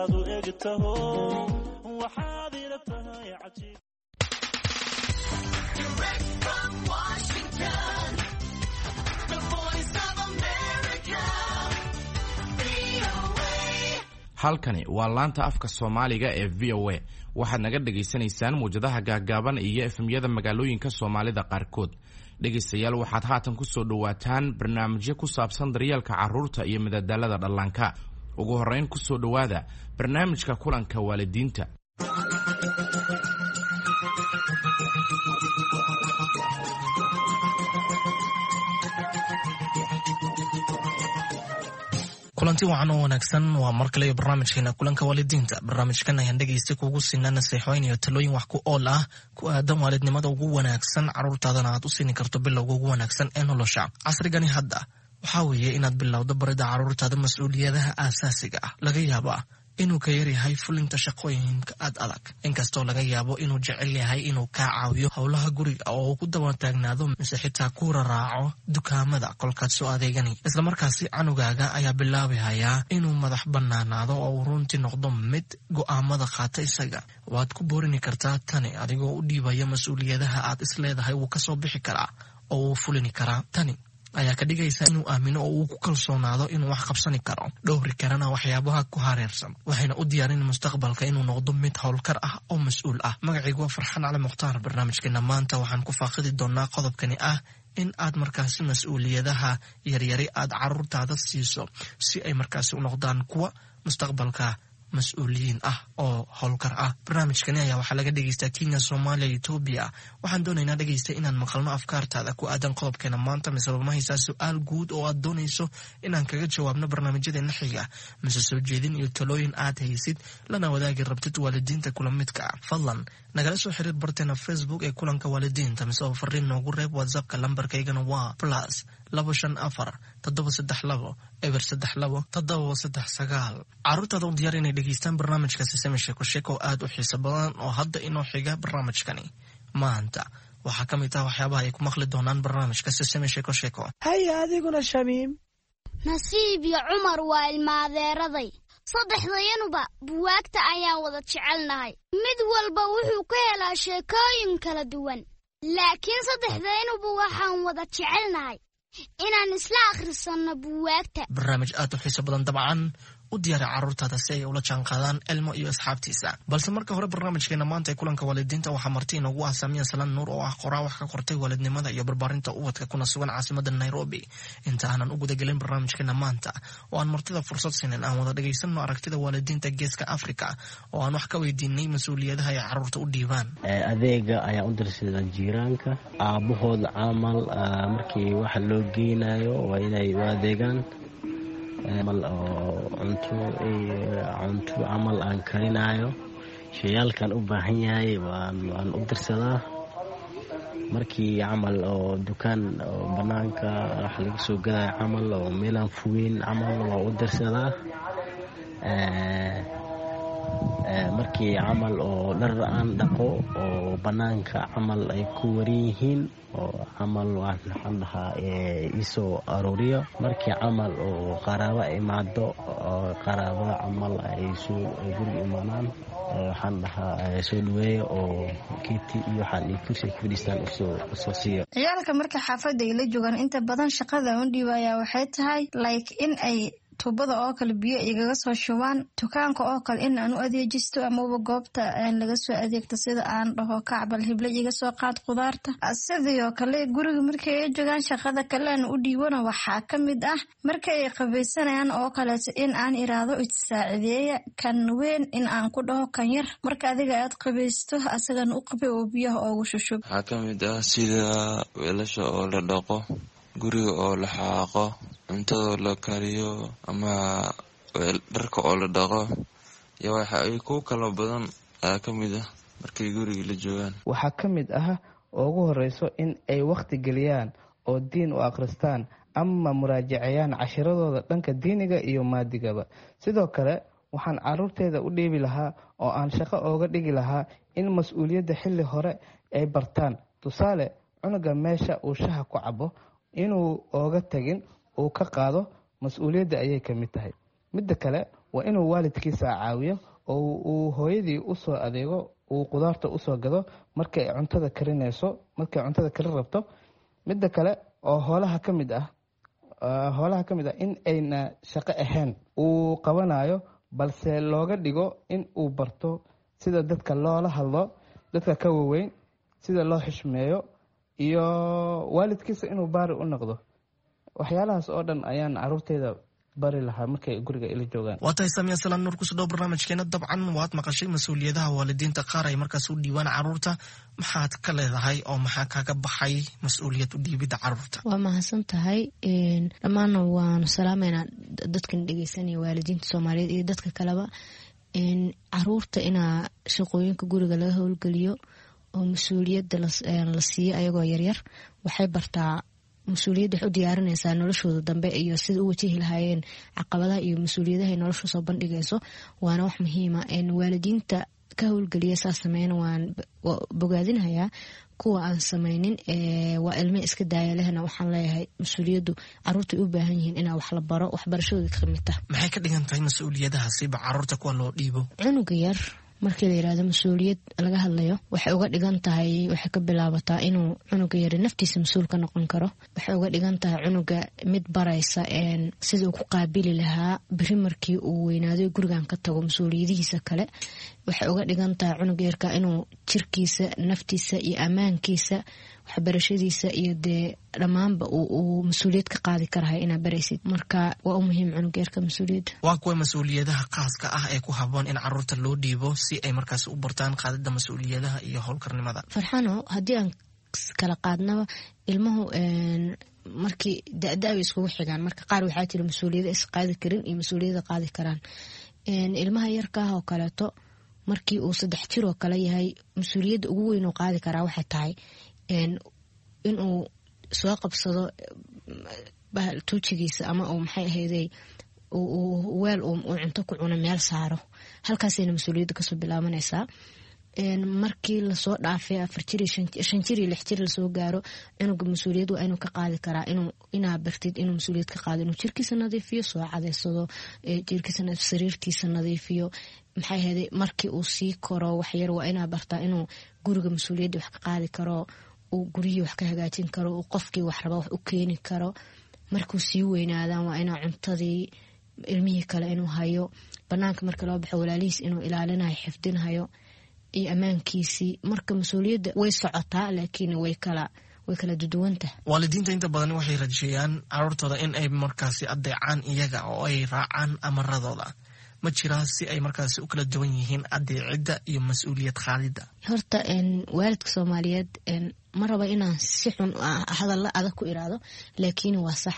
U egtaho, waxaad ila tahay cajiib. Direct from Washington, the Voice of America, VOA. Halkani waa laanta afka Soomaaliga ee VOA. Waxaad naga dhagaysanaysaan muwjadaha gaaggaaban iyo FM-yada magaalooyinka Soomaalida qaarkood. Dhegaystayaal, waxaad haatan ku soo dhowaataan barnaamijyo ku saabsan daryeelka carruurta iyo madadaalada dhallaanka. Ugu horrayn, ku soo dhowaada barnaamijka kulanka waalidiinta. Kulanti wacan oo wanaagsan. Waa mar kale iyo barnaamijkeena kulanka waalidiinta. Barnaamijkan ayaan dhegaysta kuugu siinaa naseexooyin iyo talooyin wax ku ool ah ku aadan waalidnimada ugu wanaagsan, carruurtaadana aad u siini karto bilowga ugu wanaagsan ee nolosha. Casrigani hadda waxaa weeye inaad bilowdo barida carruurtaada mas-uuliyadaha aasaasiga ah. Laga yaabaa inuu ka yaryahay fulinta shaqooyinka aad adag, inkastoo laga yaabo inuu jecel yahay inuu kaa caawiyo howlaha guriga oo uu ku daba taagnaado mise xitaa ku raraaco dukaamada kolkaad soo adeeganay. Islamarkaasi canugaaga ayaa bilaabihayaa inuu madax banaanaado oo uu runtii noqdo mid go'aamada qaata isaga. Waad ku boorini kartaa tani adigoo u dhiibaya mas-uuliyadaha aad isleedahay wuu kasoo bixi karaa oo wuu fulini karaa. Tani ayaa ka dhigaysa inuu aamino oo uu ku kalsoonaado inuu wax qabsani karo, dhowri karana waxyaabaha ku hareersan, waxayna u diyaarin mustaqbalka inuu noqdo mid howlkar ah oo mas-uul ah. Magacaygu waa Farxaan Cali Mukhtaar. Barnaamijkeena maanta waxaan ku faaqidi doonaa qodobkani ah in aad markaasi mas-uuliyadaha yaryari aad caruurtaada siiso si ay markaasi u noqdaan kuwa mustaqbalka mas-uuliyiin ah oo howlkar ah. Barnaamijkani ayaa waxaa laga dhegeystaa Kenya, Soomaaliya, Etoobiya. Waxaan doonaynaa, dhegeysta, inaan maqalno afkaartaada ku aadan qodobkeena maanta. Mise ma haysaa su-aal guud oo aad doonayso inaan kaga jawaabno barnaamijyadeena xiga, mise soo jeedin iyo talooyin aad haysid lana wadaagi rabtid waalidiinta kula midka ah? Fadlan nagala soo xiriir barteena Facebook ee kulanka waalidiinta, mise oo fariin noogu reeb WhatsAppka. Lambarkaygana waa +254 732 032 739. Caruurtaada u diyaar inay dhegeystaan barnaamijka Sisemi Sheeko Sheeko oo aad u xiiso badan oo hadda inoo xiga. Barnaamijkani maanta waxaa ka mid ah waxyaabaha ay ku maqli doonaan barnaamijka Sisemi Sheeko Sheeko. Haya, adiguna, Shamiim. Nasiib iyo Cumar waa ilmaadeeraday. Saddexdayanuba buwaagta ayaan wada jecelnahay. Mid walba wuxuu ka helaa sheekooyin kala duwan, laakiin saddexdayanuba waxaan wada jecelnahay inaan isla akhrisanno buwaagta. Barnaamij aad u xiiso badan dabcan. U diyaari carruurtaada si ay ula jaanqaadaan Elmo iyo asxaabtiisa. Balse marka hore, barnaamijkeena maanta ee kulanka waalidiinta waxaa marti inoogu ah Samiya Salan Nuur oo ah qoraa wax ka qortay waalidnimada iyo barbaarinta ubadka, kuna sugan caasimada Nairobi. Inta aanan u gudagelin barnaamijkeena maanta oo aan martida fursad siinin, aan wada dhagaysanno aragtida waalidiinta Geeska Africa oo aan wax ka weydiinay mas-uuliyadaha ay carruurta u dhiibaan. Adeega ayaan u dirsadaa jiiraanka, aabbahooda camal. Markii waxa loo geynayo waa inay u adeegaan camal oo cunto cunto camal aan karinayo, shayaalkan u baahan yahay waan u dirsadaa. Markii camal oo dukaan oo banaanka wax laga soo gadayo camal oo meelaan fogeyn camal waa u dirsadaa. Markii camal oo dhar aan dhaqo oo banaanka camal ay ku waran yihiin oo camal, waxaan dhahaa iisoo aruuriyo. Markii camal oo qaraabo imaado oo qaraabada camal ay soo guriga imaanaan, waxaan dhahaa soo dhaweeya oo kiti iyo waxaan iyo kursi ay ku fadhiistaan usoo siiyo. Ciyaalka marka xaafadda ay la joogaan, inta badan shaqada un dhiibayaa waxay tahay like in ay tuubada oo kale biyo igaga soo shubaan, dukaanka oo kale in aan u adeejisto amaba goobta laga soo adeegto, sida aan dhaho kacbal hible iga soo qaad qudaarta. Sidoo kale guriga markay ay joogaan, shaqada kale aan u dhiibana waxaa ka mid ah marka ay qabaysanayaan oo kaleeto in aan iraahdo issaacideeya, kan weyn in aan ku dhaho kan yar marka adiga aad qabaysto asagana u qabay oo biyaha oogu shushub. Waxaa ka mid ah sida weelasha oo la dhaqo, guriga oo la xaaqo, cuntadoo la kariyo ama dharka oo la dhaqo iyo waxa ay ku kala badan ayaa ka mid ah markay guriga la joogaan. Waxaa ka mid ah oo ugu horeyso in ay wakhti geliyaan oo diin u akhristaan ama muraajaceeyaan cashiradooda dhanka diiniga iyo maadigaba. Sidoo kale waxaan caruurteeda u dhiibi lahaa oo aan shaqo ooga dhigi lahaa in mas-uuliyadda xilli hore ay bartaan. Tusaale, cunuga meesha uu shaha ku cabo inuu ooga tagin, uu ka qaado, mas-uuliyadda ayay ka mid tahay. Midda kale, Waa inuu waalidkiisa caawiyo oo uu hooyadii usoo adeego, uu qudaarta usoo gado markay cuntada karinayso, markay cuntada karin rabto. Midda kale oo hoolaha ka mid ah, hoolaha ka mid ah in ayna shaqo ahayn uu qabanayo, balse looga dhigo in uu barto sida dadka loola hadlo, dadka ka waweyn sida loo xishmeeyo, iyo waalidkiisa inuu baari u noqdo. Waxyaalahaas oo dhan ayaan caruurteyda bari lahaa markay guriga ila joogaan. Waa tahay Samiya Salaan Nuur, kusoo dhow barnaamijkeena. Dabcan waad maqashay mas-uuliyadaha waalidiinta qaar ay markaas u dhiibaan caruurta. Maxaad ka leedahay oo maxaa kaga baxay mas-uuliyad u dhiibidda caruurta? Waa mahadsan tahay. Dhammaanna waanu salaameynaa dadkan dhegeysanaya, waalidiinta Soomaaliyeed iyo dadka kaleba. Caruurta inaa shaqooyinka guriga laga howlgeliyo oo mas-uuliyadda la siiyo ayagoo yaryar waxay bartaa mas-uuliyadda, waxay u diyaarinaysaa noloshooda dambe iyo sida u wajihi lahaayeen caqabadaha iyo mas-uuliyadaha ay nolosha soo bandhigayso. Waana wax muhiima. Waalidiinta ka howlgeliya saa sameeyana waan bogaadinhayaa. Kuwa aan sameynin, waa ilme iska daaya lehna, waxaan leeyahay mas-uuliyaddu caruurta ay u baahan yihiin inaa wax la baro, waxbarashadooda ka mid tah. Maxay ka dhigan tahay mas-uuliyadahaasiba caruurta kuwa loo dhiibo? Cunuga yar markii la yirahdo mas-uuliyad laga hadlayo, waxay uga dhigan tahay, waxay ka bilaabataa inuu cunuga yari naftiisa mas-uul ka noqon karo. Waxay uga dhigan tahay cunuga mid baraysa sida uu ku qaabili lahaa beri markii uu weynaado gurigan ka tago mas-uuliyadihiisa kale. Waxay uga dhigan tahay cunuga yarka inuu jirkiisa, naftiisa iyo ammaankiisa, waxbarashadiisa iyo dee dhammaanba uu mas-uuliyad ka qaadi karahay inaa baraysid. Marka waa u muhiim cunuga yarka mas-uuliyadda. Waa kuwa mas-uuliyadaha khaaska ah ee ku haboon in caruurta loo dhiibo si ay markaas u bartaan qaadida mas-uuliyadaha iyo howlkarnimada? Farxano, haddii aan kala qaadnaba, ilmuhu markii da-da bay iskugu xigaan. Marka qaar waxaa jira mas-uuliyada is qaadi karin iyo mas-uuliyada qaadi karaan. Ilmaha yarka ah oo kaleeto, markii uu 3 jir oo kale yahay, mas-uuliyadda ugu weyn uu qaadi karaa waxay tahay inuu soo qabsado tuujigiisa ama uu maxay ahayday weel uu cunto ku cuno meel saaro. Halkaasayna mas-uuliyadda kasoo bilaabanaysaa. Markii lasoo dhaafay 4 jir, 5 jir iyo 6 jir lasoo gaaro, cunuga mas-uuliyad waa inuu ka qaadi karaa inaa bartid inuu mas-uuliyad ka qaado inuu jirkiisa nadiifiyo, soo cadeysado jirkiisa, sariirtiisa nadiifiyo, maxay ahayday. Markii uu sii koro waxyar, waa inaa bartaa inuu guriga mas-uuliyadda wax ka qaadi karo, uu guryihii wax ka hagaajin karo, uu qofkii wax raba wax u keeni karo. Markuu sii weynaadaan, waa inaa cuntadii ilmihii kale inuu hayo, banaanka marka loo baxo walaalihiis inuu ilaalinayo, xifdinhayo iyo ammaankiisii. Marka mas-uuliyadda way socotaa, laakiin way kala duduwantah. Waalidiinta inta badan waxay rajeeyaan caruurtooda in ay markaasi adeecaan iyaga oo ay raacaan amaradooda. Ma jiraa si ay markaasi u kala duwan yihiin adeecidda iyo mas-uuliyad qaadidda? Horta waalidka Soomaaliyeed ma raba inaan si xun hadalla adag ku iraado, laakiin waa sax.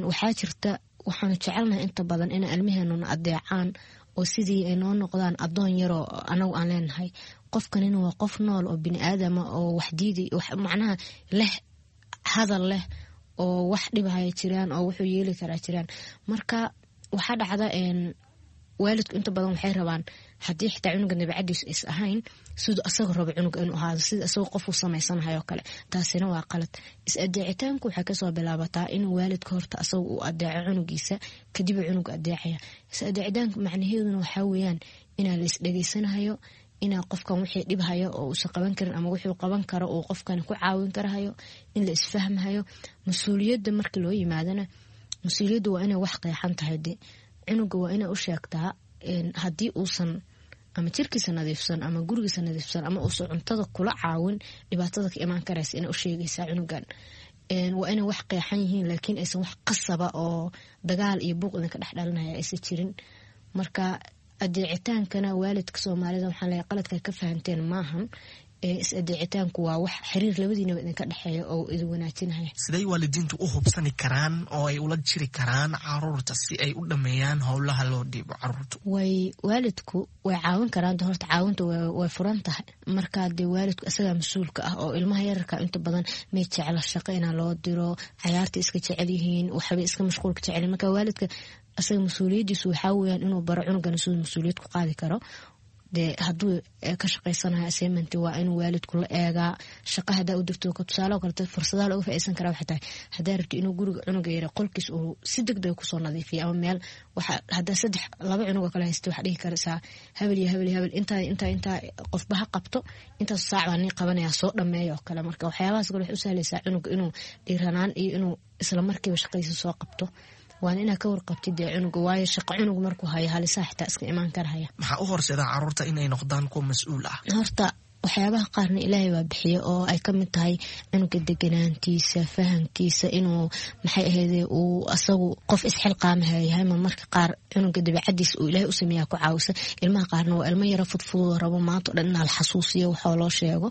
Waxaa jirta, waxaanu jecelnahay inta badan inay ilmaheenuna adeecaan oo sidii ay noo noqdaan adoon yaroo anagu aan leenahay. Qofkanina waa qof nool oo bini aadama oo wax diiday, macnaha leh hadal leh, oo wax dhibhaya jiraan oo wuxuu yeeli karaa jiraan. Marka waxaa dhacda waalidku inta badan waxay rabaan, haddii xitaa cunuga dabacadiisu is ahayn, siduu asaga rabo cunuga inuu ahaado, sida asagoo qofuu samaysanahayo kale. Taasina waa qalad. Is-adeecitaanku waxay kasoo bilaabataa inuu waalidka horta asaga uu adeeco cunugiisa, kadib cunuga adeecaya. Is-adeecitaanka macnaheeduna waxaa weeyaan inaa la is-dhegeysanahayo, inaa qofkan wixii dhibhayo oo uusan qaban karin ama wuxuu qaban karo uu qofkan ku caawin karahayo, in la isfahmahayo. Mas-uuliyadda markii loo yimaadana, mas-uuliyadda waa inay wax qeexan tahay. De cunuga waa inay u sheegtaa haddii uusan ama jirkiisa nadiifsan ama gurigiisa nadiifsan ama uusan cuntada kula caawin, dhibaatada ka imaan karaysa inay u sheegaysaa cunugan. Waa inay wax qeexan yihiin, laakiin aysan wax qasaba oo dagaal iyo buuq idinka dhex dhalinaya aysan jirin. Marka adeecitaankana waalidka Soomaalida waxaan leeyahay, qaladka ka fahanteen maahan. Is-adeecitaanku waa wax xiriir labadiinaba idinka dhexeeya oo idin wanaajinaya. Siday waalidiintu u hubsani karaan oo ay ula jiri karaan caruurta si ay u dhameeyaan howlaha loo dhiibo caruurta? Way waalidku way caawin karaan. De horta caawinta way furan tahay. Marka dee waalidku isagaa mas-uulka ah oo ilmaha yararka inta badan may jecla shaqo inaa loo diro, cayaarta iska jecel yihiin, waxbay iska mashquulka jecel. Marka waalidka isaga mas-uuliyadiisu waxaa weeyaan inuu baro cunugan siduu mas-uuliyad ku qaadi karo. Dee hadduu ka shaqaysanayo assignment waa inuu waalidku la eegaa. Shaqa hadaa u dirto tusaale oo kaleeto, fursadaha looga faa'iideysan karaa waxay tahay haddaa rabto inuu guriga cunuga yara qolkiis uu si degdeg kusoo nadiifiyo ama meel waxa haddaa saddex laba cunug oo kale haysta, waxaa dhihi karaysaa hebel iyo hebel iyo hebel, intaa intaa intaa qofba ha qabto, intaas saac baa nii qabanaya, soo dhameeya oo kale. Marka waxyaabahaas kale waxay u sahlaysaa cunuga inuu dhiiranaan iyo inuu isla markiiba shaqadiisa soo qabto. Waana inaa ka warqabtid dee cunuga, waayo shaqo cunug markuu hayo halisaa xitaa iska imaan karahaya. Maxaa u horseeda caruurta inay noqdaan kuwa mas-uul ah? Horta waxyaabaha qaarna Ilaahay baa bixiya, oo ay ka mid tahay cunuga deganaantiisa, fahamkiisa, inuu maxay ahayde uu asagu qof isxilqaamaha yahay. Ma marka qaar cunuga dabeecadiisa uu Ilaahay u sameeyaa ku caawisa. Ilmaha qaarna waa ilmo yaro fudfudoo rabo maanta o dhan inaa la xasuusiyo waxoo loo sheego.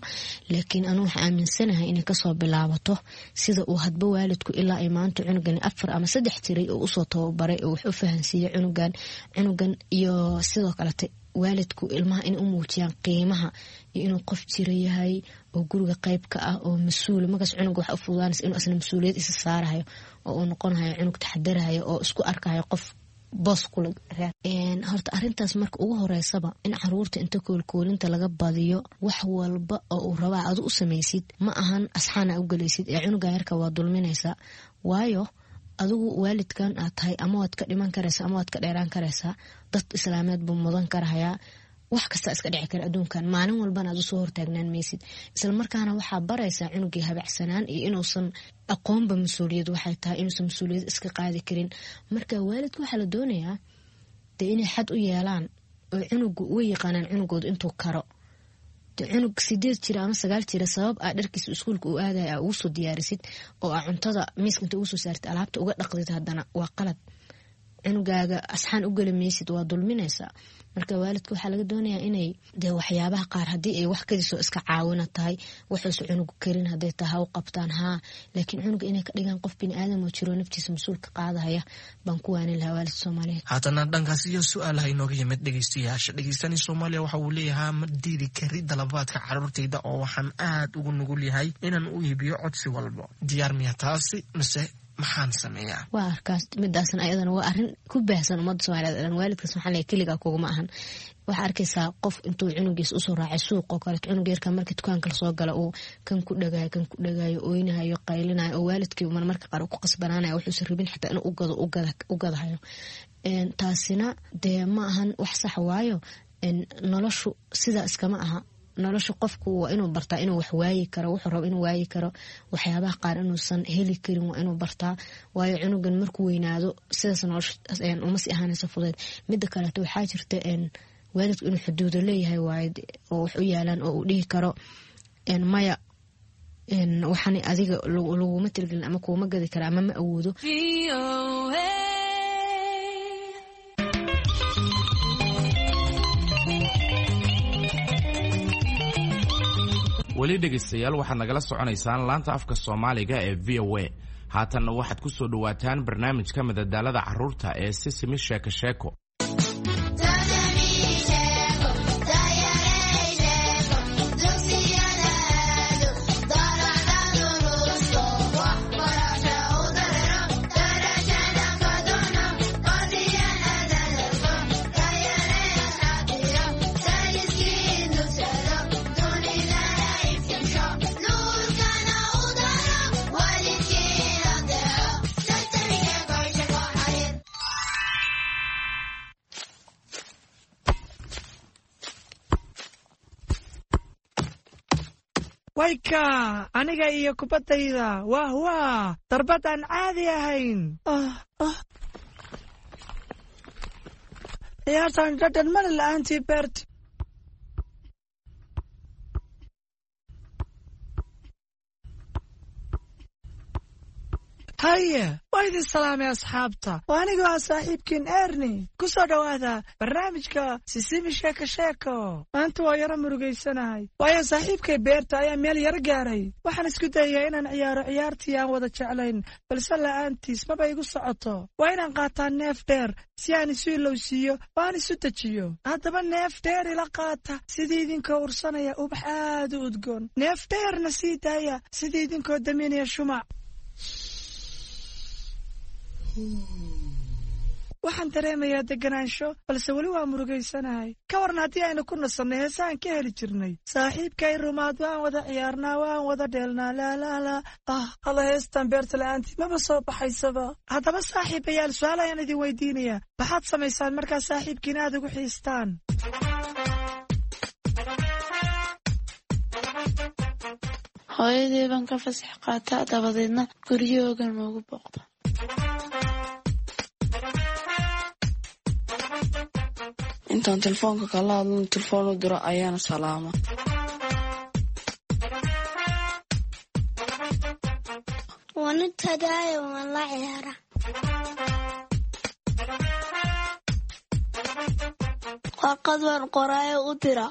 Laakiin anuu waxaa aaminsanahay inay kasoo bilaabato sida uu hadba waalidku ilaa ay maanta cunugani 4 ama 3 jiray oo usoo tababaray oo wax u fahansiiyey cunugan. Iyo sidoo kalete waalidku ilmaha inay u muujiyaan qiimaha iyo inuu qof jira yahay oo guriga qayb ka ah oo mas-uul. Markaas cunuga waxa u fududaanaysa inuu asna mas-uuliyad isa saarahayo oo uu noqonayo cunug taxadarahayo oo isku arkahayo qof boos kula reer. Horta arrintaas marka ugu horeysaba in caruurta inta koolkoolinta laga badiyo, wax walba oo uu rabaa adu u samaysid, ma ahan asxaana u gelaysid ee cunuga yarka waa dulminaysaa. Waayo adigu waalidkan aad tahay ama waad ka dhiman karaysaa ama waad ka dheeraan karaysaa. Dad islaameed buu mudan karahayaa, wax kasta iska dhici kara adduunkan, maalin walbana aad usoo hortaagnaan maysid. Isla markaana waxaa baraysaa cunugii habacsanaan iyo inuusan aqoonba mas-uuliyad waxay tahay, inuusan mas-uuliyad iska qaadi karin. Marka waalidka waxaa la doonayaa dee inay xad u yeelaan oo cunugu way yaqaanaan cunugoodu intuu karo. Dee cunug 8 jira ama 9 jira, sabab aa dharkiisa iskuulka uu aadaya aa ugu soo diyaarisid oo aa cuntada miiska inta ugu soo saartid alaabta uga dhaqdid, haddana waa qalad. Cunugaaga asxaan u geli maysid, waa dulminaysaa. Marka waalidka waxaa laga doonayaa inay dee waxyaabaha qaar haddii ay wax kadisoo iska caawina tahay, waxuusa cunugu karin hadday tahay, ha u qabtaan haa, laakiin cunuga inay ka dhigaan qof bini aadam oo jiro naftiisa mas-uulka qaadahaya baan ku waanin lahaa waalidka Soomaaliyeed. Haatana dhankaas iyo su-aalaha inooga yimid dhegeystayaasha. Dhegeystani Soomaaliya waxa uu leeyahaa: ma diidi kari dalabaadka caruurtayda oo waxaan aad ugu nugul yahay inaan u iibiyo codsi walbo. Diyaar miya taasi mise maxaan sameeyaa? Waa arkaas midaasna ayadana waa arrin ku baahsan ummadda Soomaaliyeed oo dhan. Waalidkaas waxaan leeyahay keligaa kuguma ahan. Waxaa arkaysaa qof intuu cunugiisa usoo raacay suuq oo kaleeto, cunug yarka marka dukaanka lasoo gala uu kan ku dhagayo, kan ku dhagayo, oynahayo, qaylinayo, oo waalidkii marmarka qaar uu ku qasbanaanayo wuxuusan rabin xitaa inuu ugado u gadahayo. Taasina dee ma ahan wax sax, waayo noloshu sidaa iskama aha. Nolosha qofku waa inuu bartaa inuu wax waayi karo, wuxuu rabo inuu waayi karo, waxyaabaha qaar inuusan heli karin waa inuu bartaa. Waayo cunugan markuu weynaado sidaas nolosha uma sii ahaanayso fudeed. Mida kaleeto waxaa jirta waalidku inuu xuduudo leeyahay, waayo oo wax u yaalaan oo uu dhihi karo maya, waxaan adiga laguma tirigelin ama kuuma gadi kara ama ma awoodo. Weli dhegaystayaal, waxaad nagala soconaysaan laanta afka Soomaaliga ee VOA. Haatanna waxaad ku soo dhowaataan barnaamijka madadaalada carruurta ee Sisimi Sheeko Sheeko. Wayka aniga iyo kubaddayda, wah wah, darbad aan caadi ahayn. Ciyaartan dhadhan male la'aantii Bert. Haye, waa idin salaamay asxaabta. Waa anigoo ah saaxiibkiin Erni. Ku soo dhowaada barnaamijka Sisimi Sheeko Sheeko. Maanta waa yaro murugaysanahay, waayo saaxiibkay Beerta ayaa meel yaro gaaray. Waxaan isku dayayaa inaan ciyaaro ciyaartii aan wada jeclayn, balse la'aantiis maba igu socoto. Waa inaan qaataa neef dheer si aan isu ilowsiiyo oo aan isu dejiyo. Haddaba neef dheer ila qaata sidii idinkoo ursanaya ubax aad u udgoon. Neef dheerna sii daaya sidii idinkoo daminaya shumac. Waxaan dareemayaa deganaansho, balse weli waa murugaysanahay. Ka waran haddii aynu ku nasannay heesahan ka heli jirnay? Saaxiibkay Rumaad waan wada ciyaarnaa, waan wada dheelnaa, laalaalaa. Ah, alla, heestan Beerta la'aantii maba soo baxaysaba. Haddaba saaxiibayaal, su-aal ayaan idin weydiinayaa: maxaad samaysaan markaa saaxiibkiin aad ugu xiistaan? Hooyadii baan ka fasax qaataa, dabadeedna guryahooga noogu booqda. Intaan telefoonka kala hadlan, telefoon u diro ayaana salaama. Waan u tagaayo, waan la ciyaara. Warqad waan qoraayo u dira.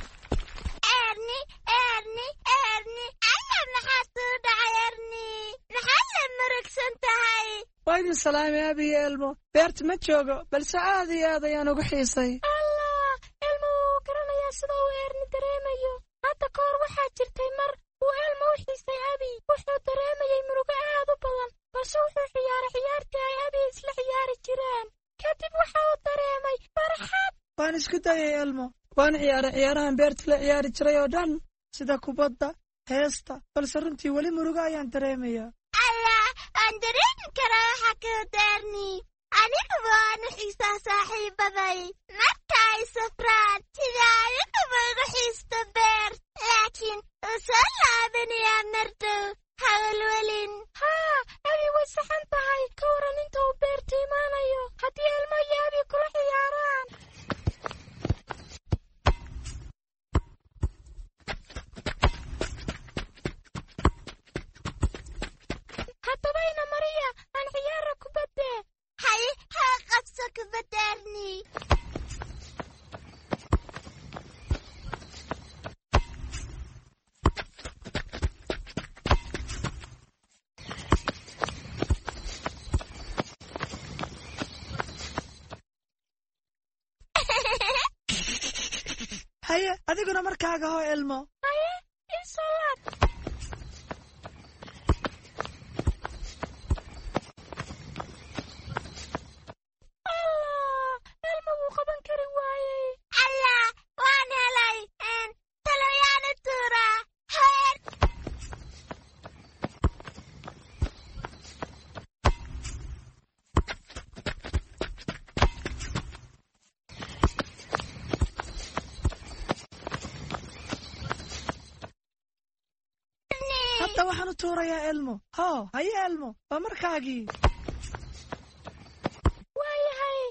Erni, Erni, Erni, alla, maxaa soo dhacay? Erni, maxaad la murugsan tahay? Waa idin salaamay, Abi iyo Elmo. Beerta ma joogo, balse aad iyo aad ayaan ugu xiisay. Allah, Elmo wuu garanayaa sida uu Erni dareemayo. Hadda ka hor waxaa jirtay mar uu Elmo u xiisay Abi. Wuxuu dareemayay murugo aad u badan, balse wuxuu ciyaaray ciyaartii ay Abi isla ciyaari jireen. Kadib waxa uu dareemay farxad. Waan isku dayay, Elmo. Waan ciyaaray ciyaarahan beerta la ciyaari jiray oo dhan, sida kubadda, heesta, balse runtii weli murugo ayaan dareemayaa. Allah, waan dareemi karaa waxa ka Erni. Aniguba waan u xiisaa saaxiibaday marka ay safraan, sida aniguba igu xiisto Beert. Laakiin wuu soo laabanayaa mardow, hawalwelin. Haa, Abi way saxan tahay. Ka waran inta uu Beerta imaanayo haddii Elmo iyo Abi kula ciyaaraan? Haddaba ina mariya, aan ciyaara kubadde. Hay, ha qabso kubadda, Erni. Haye, adiguna markaaga hoo, Elmo. Haye, ii soo laad. Allah, Elmo wuu qaban kari waayey. Allah, waan helay. Taloyaanu tuuraa heer. Hadda waxaan u tuurayaa Elmo. Hoo, haye Elmo, waa markaagii. Waayahay.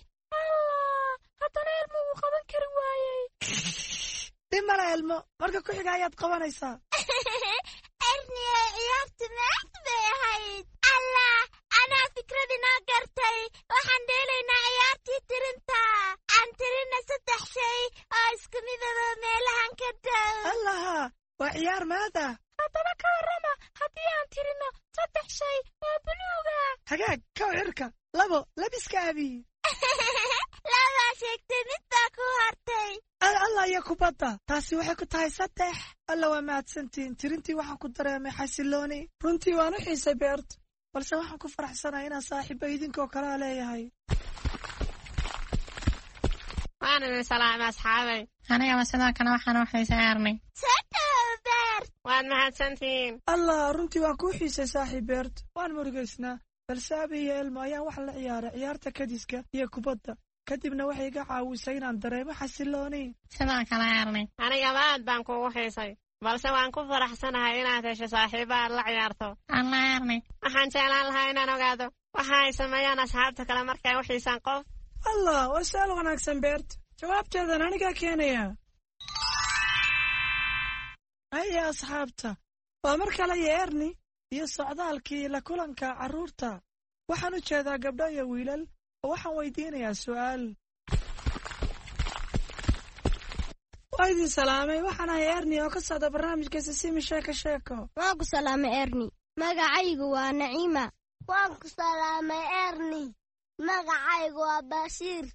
Allah, haddana Elmo wuu qaban kari waayey. Dhib male, Elmo, marka ku xiga ayaad qabanaysaa. Erni, ee ciyaartu maad bay ahayd. Allah, anaa fikrad inoo gartay. Waxaan dheelaynaa ciyaartii tirinta. Aan tirina saddex shay oo isku midaba meelahan ka dhow. Allaha, waa ciyaar maad ah. Haddaba ka warrama haddii aan tirino saddex shay oo buluug ah? Hagaag, kow, cirka; labo, labiska Abi. Labaa sheegtay, mid baa ku hartay. Alla iyo kubadda, taasi waxay ku tahay saddex. Alla, waa mahadsantihiin. Tirintii waxaan ku dareemay xasilooni. Runtii waan u xiisay Beert, balse waxaan ku faraxsanahay inaan saaxiibo idinkoo kalea leeyahay. Waan idin salaamay, asxaabay. Anigaba sidoo kale waxaan u xiisay Erni. Soo dhawow, Beert. Waad mahadsantihiin. Allah, runtii waan kuu xiisay, saaxiib Beert. Waan murugaysnaa, balse Abi iyo Elmo ayaan wax la ciyaaray ciyaarta kadiska iyo kubadda. Kadibna waxay iga caawisay inaan dareemo xasilooni. Sidoo kale, Erni. Anigaba aad baan kuugu xiisay, balse waan ku faraxsanahay inaad hesho saaxiibo aad la ciyaarto. Alla, Erni. Waxaan jeclaan lahaa inaan ogaado waxa ay sameeyaan asxaabta kale markay u xiisaan qof. Allah, waa su-aal wanaagsan, Beert. Jawaabteedan anigaa keenaya. Haya asxaabta, waa mar kale iyo Erni iyo socdaalkii la kulanka carruurta. Waxaan u jeedaa gabdho iyo wiilal oo waxaan weydiinayaa su'aal. Waa idin salaamay, waxaan ahay Erni oo ka socda barnaamijka Sisimi Sheeko Sheeko. Waan ku salaamay, Erni. Magacaygu waa Naciima. Waan ku salaamay, Erni. Magacaygu waa Bashiir.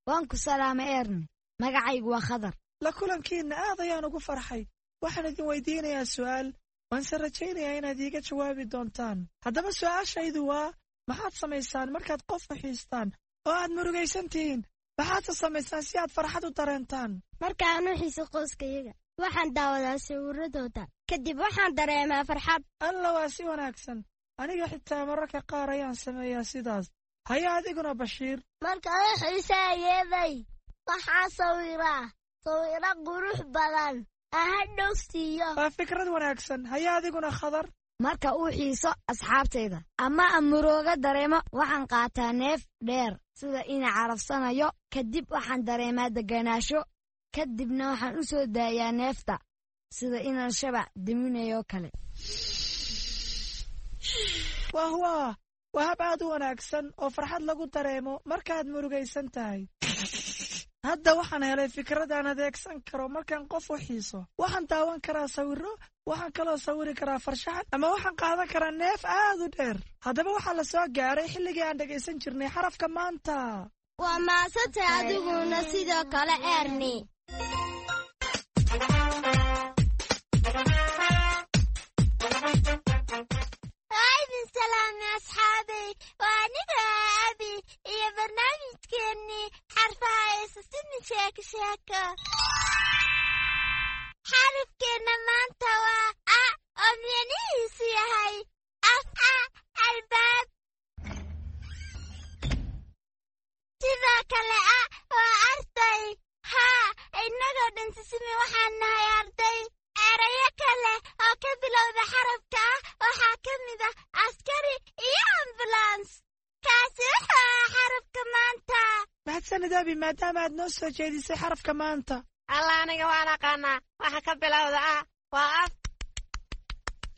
Waan ku salaamay, Erni. Magacaygu waa Khadar. La kulankiinna aad ayaan ugu farxay. Waxaan idin weydiinayaa su'aal. Waanse rajaynayaa inaad iiga jawaabi doontaan. Haddaba su'aashaydu waa, maxaad samaysaan markaad qof u xiistaan oo aad murugaysan tihiin? Maxaadse samaysaan si aad farxad u dareentaan? Markaan u xiiso qoyskayaga, waxaan daawadaa sawiradooda. Kadib waxaan dareemaa farxad. Alla, waa si wanaagsan. Aniga xitaa mararka qaar ayaan sameeyaa sidaas. Haya, adiguna Bashiir? Markaan u xiisaayeeday, waxaan sawiraa sawiro qurux badan ahadhow siiyo. Waa fikrad wanaagsan. Haya, adiguna Khadar? Marka uu xiiso asxaabtayda ama aan murooga dareemo, waxaan qaataa neef dheer sida ina carabsanayo. Kadib waxaan dareemaa degganaasho. Kadibna waxaan u soo daayaa neefta sida inaan shabac diminayo kale. Wah wah, waa hab aad u wanaagsan oo farxad lagu dareemo markaad murugaysan tahay. Hadda waxaan helay fikrad aan adeegsan karo markaan qof u xiiso. Waxaan daawan karaa sawirro, waxaan kaloo sawiri karaa farshaxan, ama waxaan qaadan karaa neef aad u dheer. Haddaba waxaa la soo gaaray xilligii aan dhegaysan jirnay xarafka maanta. Waa maasantay adiguna sidoo kale, Erni. Waa idin salaamay asxaabay. Waa aniga Abi iyo barnaamijkeennii xarfaha ee Sisimi Sheeko Sheeko. Xarafkeenna maanta waa A, oo micnihiisu yahay af a albaab. Sidoo kale A waa arday. Haa, innagoo dhan Sisimi waxaan nahay arday. Erayo kale oo ka bilowda xarafka ah waxaa ka mid ah askari iyo ambulans. Kaasi wuxuu ahaa xarafka maanta. Mahadsanid Abi, maadaama aad noo soo jeedisay xarafka maanta. Alla, aniga waan aqaanaa waxa ka bilowda A. Waa af.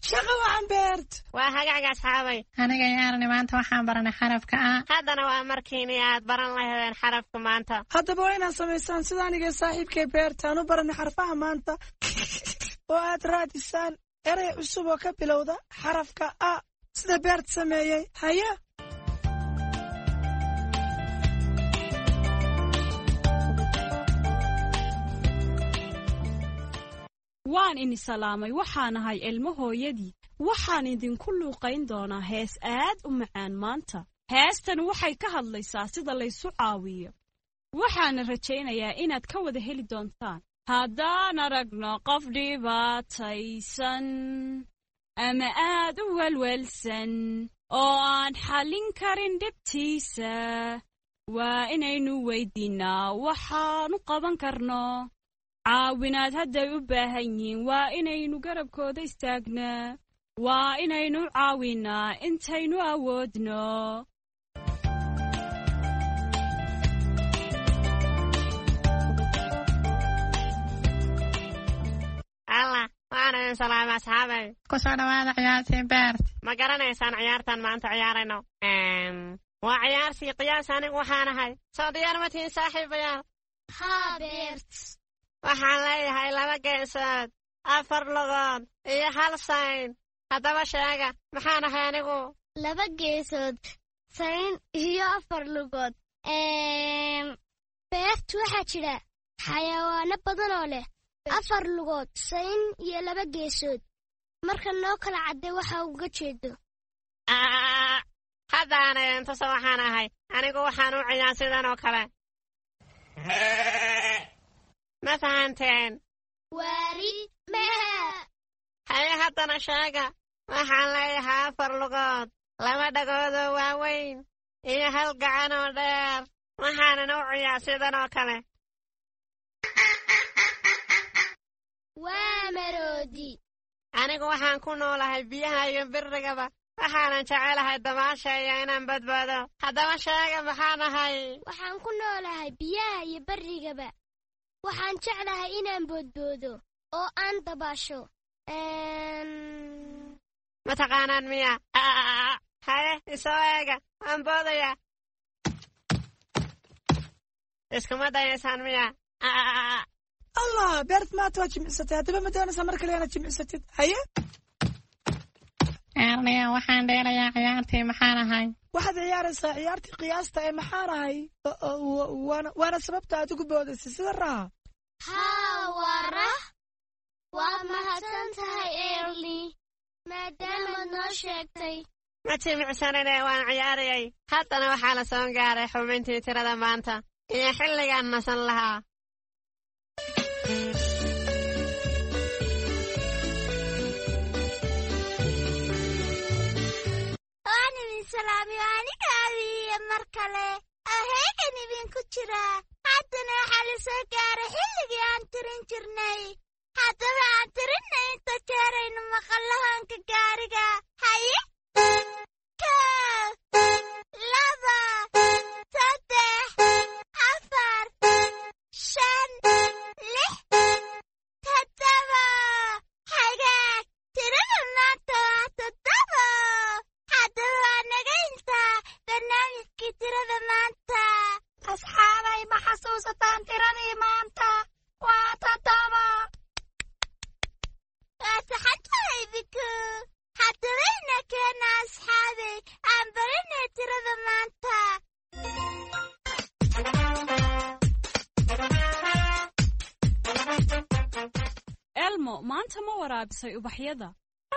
Shaqa wacan, Beert. Waa hagaag, asxaabay. Aniga iyo Erni maanta waxaan baranay xarafka A. Haddana waa markiinii aad baran lahaydeen xarafka maanta. Haddaba waa inaad samaysaan sida aniga saaxiibkay Beert aan u baranay xarfaha maanta, oo aad raadisaan erey cusub oo ka bilowda xarafka A, sida Beert sameeyey. Haya. Waan ini salaamay. Waxaan ahay Ilmo hooyadii. Waxaan idinku luuqayn doonaa hees aad u macaan maanta. Heestan waxay ka hadlaysaa sida laysu caawiyo, waxaana rajaynayaa inaad ka wada heli doontaan. Haddaan aragno qof dhibaataysan ama aad u welwelsan oo aan xallin karin dhibtiisa, waa inaynu weydiinnaa waxaanu qaban karno. Caawinaad hadday u baahan yihiin, waa inaynu garabkooda istaagnaa, waa inaynu caawinnaa intaynu awoodno. Alla, waan idin salaamay, asxaabay. Ku soo dhawaada ciyaartii, Beert. Ma garanaysaan ciyaartan maanta ciyaarayno? Waa ciyaartii qiyaas anigu waxaan ahay. Soo diyaar ma tihiin, saaxiibayaal? Haa, Beert. Waxaan leeyahay laba geesood, afar lugood iyo hal sayn. Haddaba sheega, maxaan ahay anigu? Laba geesood, sayn iyo afar lugood. Beert, waxaa jira xayawaano badan oo leh afar lugood, sayn iyo laba geesood. Marka noo kala cadday waxa uga jeedo. Haddaana intusa waxaan ahay anigu. Waxaan u ciyaa sidan oo kale. Ma fahanteen? Waari mehe. Haye, haddana sheega, waxaan leeyahay afar lugood, laba dhagoodoo waaweyn iyo hal gacan oo dheer, waxaanan u ciyaa sidan oo kale. Waa maroodi. Anigu waxaan ku noolahay biyaha iyo birrigaba, waxaanan jecelahay dabaasha iyo inaan badbaado. Haddaba sheega, maxaan ahay? Waxaan ku noolahay biyaha iyo barrigaba. Waxaan jeclahay inaan boodboodo oo aan dabaasho. Ma taqaanaan miya? Haye, isoo eega, waan boodayaa. Iskuma dayaysaan miya? Allah, Beert, maanta waa jimicsatay. Haddaba ma doonaysaa mar kale inaad jimicsatid? Haye. Erniya, waxaan dheelayaa ciyaartii maxaan ahay. Waxaad ciyaaraysaa ciyaartii qiyaasta ee maxaan ahay, waana sababta aad ugu boodaysay sida raha. Haa, waa rah. Waa mahadsan tahay, Erni. Maadaamaad noo sheegtay. Ma jimicsanine, waan ciyaarayay. Haddana waxaa la soo gaaray xubintii tirada maanta iyo xilligaan nasan lahaa. Waan idin salaamiyo aniga abiiye mar kale oo heegan idinku jira. Haddana waxaa la soo gaaray xilligii aan tirin jirnay. Haddaba aan tirinna inta jeeraynu maqallahoonka gaariga. Haye, 1, 2, 3, 4, 5, 6, 7. Hagaag, tirada maanta waa 7. Haddaba waa naga intaa barnaamijkii tirada maanta. Asxaabay, ma xasuusataan tiradii maanta? Waa 7. Waa saxantahay, Biku. Haddaba ina keena asxaabay, aan barinay tirada maanta. Elmo, maanta ma waraabisay ubaxyada?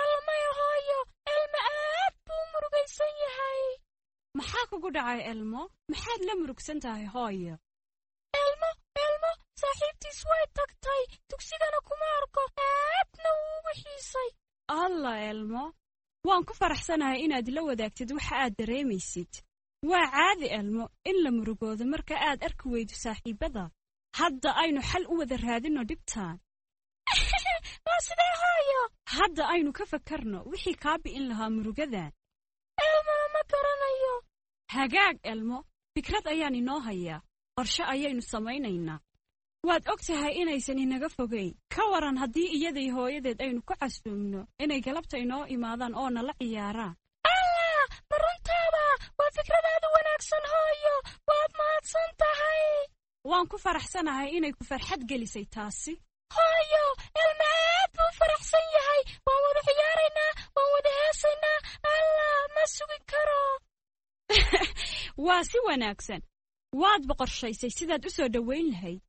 Almay hooyo, Elmo aad buu murugaysan yahay. Maxaa kugu dhacay, Elmo? Maxaad la murugsan tahay, hooyo? Elmo saaxiibtiis way tagtay, dugsigana kuma arko, aadna wuu ugu xiisay. Alla Elmo, waan ku faraxsanahay inaad la wadaagtid waxa aad dareemaysid. Waa caadi, Elmo, in la murugoodo marka aad arki weydo saaxiibada. Hadda aynu xal u wada raadinno dhibtaan. Waa sidee, hooyo? Hadda aynu ka fakarno wixii kaa bi'in lahaa murugadan. Elmona ma garanayo. Hagaag, Elmo, fikrad ayaan inoo hayaa. Qorshe ayaynu samaynaynaa. Waad og tahay inaysan inaga fogayn. Ka waran haddii iyaday hooyadeed aynu ku casuumno inay galabta inoo imaadaan oo nala ciyaaraan? Allah, ma runtaaba? Waa fikradaadu wanaagsan, hooyo. Waad mahadsan tahay. Waan ku faraxsanahay inay ku farxad gelisay taasi. Hooyo, Elma aad buu faraxsan yahay. Waan wada ciyaaraynaa, waan wada heesaynaa. Allah, ma sugi karo. Waa si wanaagsan. Waad boqorshaysay sidaad u soo dhowayn lahayd.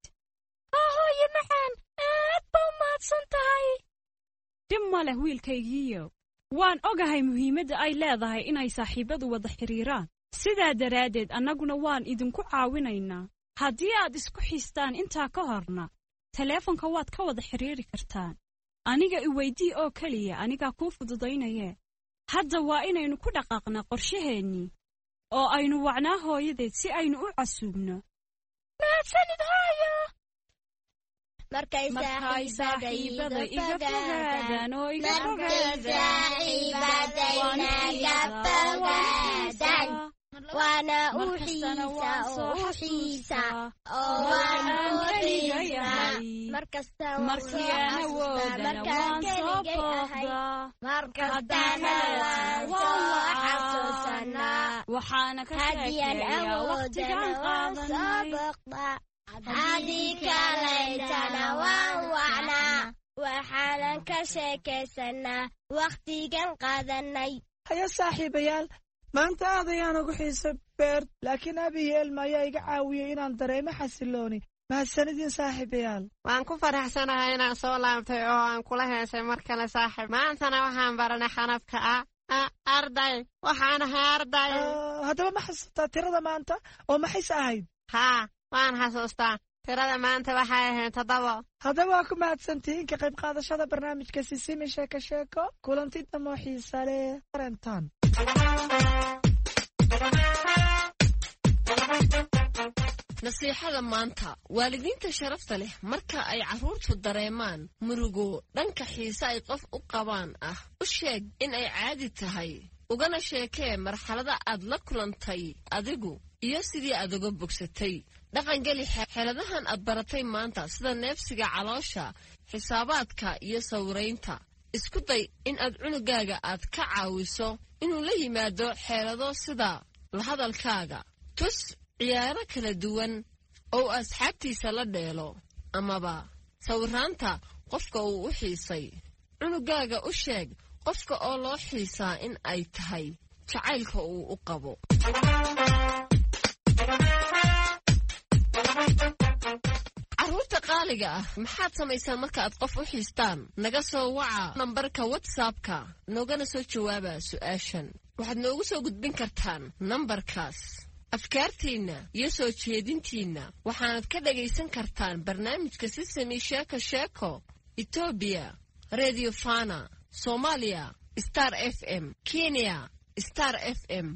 Haa hooyo macaan, aad baa u mahadsan tahay. Dhib ma leh, wiilkaygiiyow. Waan ogahay muhiimadda ay leedahay inay saaxiibbadu wada xidhiiraan. Sidaa daraaddeed annaguna waan idinku caawinaynaa. Haddii aad isku xiistaan intaa ka horna, taleefanka waad ka wada xidhiiri kartaan. Aniga iweydii oo keliya, anigaa kuu fududaynayee. Hadda waa inaynu ku dhaqaaqnaa qorshaheennii oo aynu wacnaa hooyadeed si aynu u casuubno. Mahadsanid, hooyo. Markay Markay saaxiibada iga fogaadaan oo iga fogaadaan, fogaadaan, waana u markastana xiisa waan oo soo u xiisa xasuustaa oo marka waan aan u keliga xiisaa yahay. Markasta waan Markii soo aan xasuustaa awoodana markaan waan soo keligay ahay. booqdaa. Markastana Haddaan waan waan soo wacaa. xasuusanaa. Waxaana ka Haddii aan sheekeeyaa wakhtigaan awoodana waan soo qaadanay. booqdaa. Haddii kalaytana waan wacnaa. Waxaanan ka sheekaysanaa wakhtigan qaadanay. Haya saaxiibayaal, maanta aad ayaan ugu xiisay Beert, laakiin Abi iyo Elma ayaa iga caawiyey inaan dareemo xasilooni. Mahadsanidin, saaxiibayaal. Waan ku faraxsanahay inaan soo laabtay oo aan kula heesay mar kale, saaxiib. Maantana waxaan baranay xarafka a. A, arday. Waxaan ahay arday. Haddaba ma xasuustaa tirada maanta oo maxayse ahayd? Haa, waan xasuustaa. Tirada maanta waxay ahayd 7. Haddaba waa ku mahadsantihiin ka qayb qaadashada barnaamijka Sisimi Sheeko Sheeko. Kulanti damo xiisa leh arentan. Nasiixada maanta, waalidiinta sharafta leh, marka ay carruurtu dareemaan murugo dhanka xiise ay qof u qabaan ah, u sheeg in ay caadi tahay, ugana sheekee marxalada aad la kulantay adigu iyo sidii aad uga bogsatay. Dhaqangeli xeeladahan aad baratay maanta, sida neefsiga caloosha, xisaabaadka iyo sawiraynta. Isku day in aad cunugaaga aad ka caawiso inuu la yimaado xeelado sida la hadalkaaga. Tus ciyaaro kala duwan oo uu asxaabtiisa la dheelo amaba sawiraanta qofka uu u xiisay. Cunugaaga u sheeg qofka oo loo xiisaa in ay tahay jacaylka uu u qabo. Carruurta Asxaabta qaaliga ah, maxaad samaysaan marka aad qof u xiistaan? Naga soo waca nambarka WhatsAppka, noogana soo jawaaba su'aashan. Waxaad noogu soo gudbin kartaan nambarkaas afkaartiinna iyo soo jeedintiinna. Waxaanad ka dhagaysan kartaan barnaamijka Sisemi Sheeko Sheeko Etoobiya Radio Fana, Soomaaliya Star FM, Kenya Star FM.